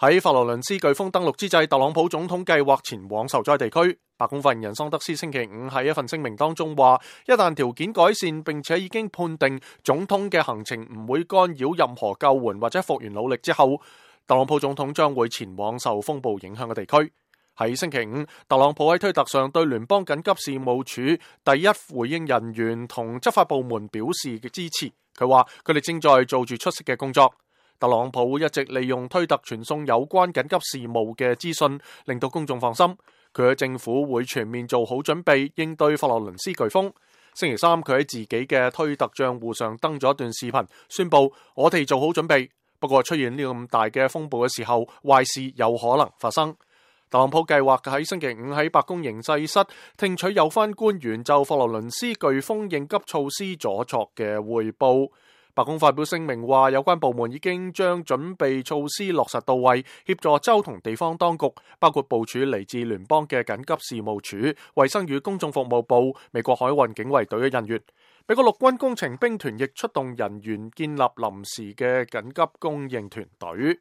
喺佛羅倫斯颶風登陸之際，特朗普總統計劃前往受災地區。白宮發言人桑德斯星期五喺一份聲明當中話，一旦條件改善，並且已經判定總統嘅行程唔會干擾任何救援或者復原努力之後，特朗普總統將會前往受風暴影響嘅地區。喺星期五，特朗普喺推特上對聯邦緊急事務處第一回應人員同執法部門表示嘅支持。佢話佢哋正在做住出色嘅工作。特朗普一直利用推特傳送有關緊急事務嘅資訊，令到公眾放心。佢嘅政府會全面做好準備應對佛羅倫斯颶風。星期三，佢喺自己嘅推特賬戶上登咗一段視頻，宣布我哋做好準備。不過出現呢咁大嘅風暴嘅時候，壞事有可能發生。特朗普計劃喺星期五喺白宮形勢室聽取有關官員就佛羅倫斯颶風應急措施所作嘅匯報。白宮發表聲明話，有關部門已經將準備措施落實到位，協助州同地方當局，包括部署嚟自聯邦嘅緊急事務處、衛生與公眾服務部、美國海運警衛隊嘅人員。美國陸軍工程兵團亦出動人員建立臨時嘅緊急供應團隊。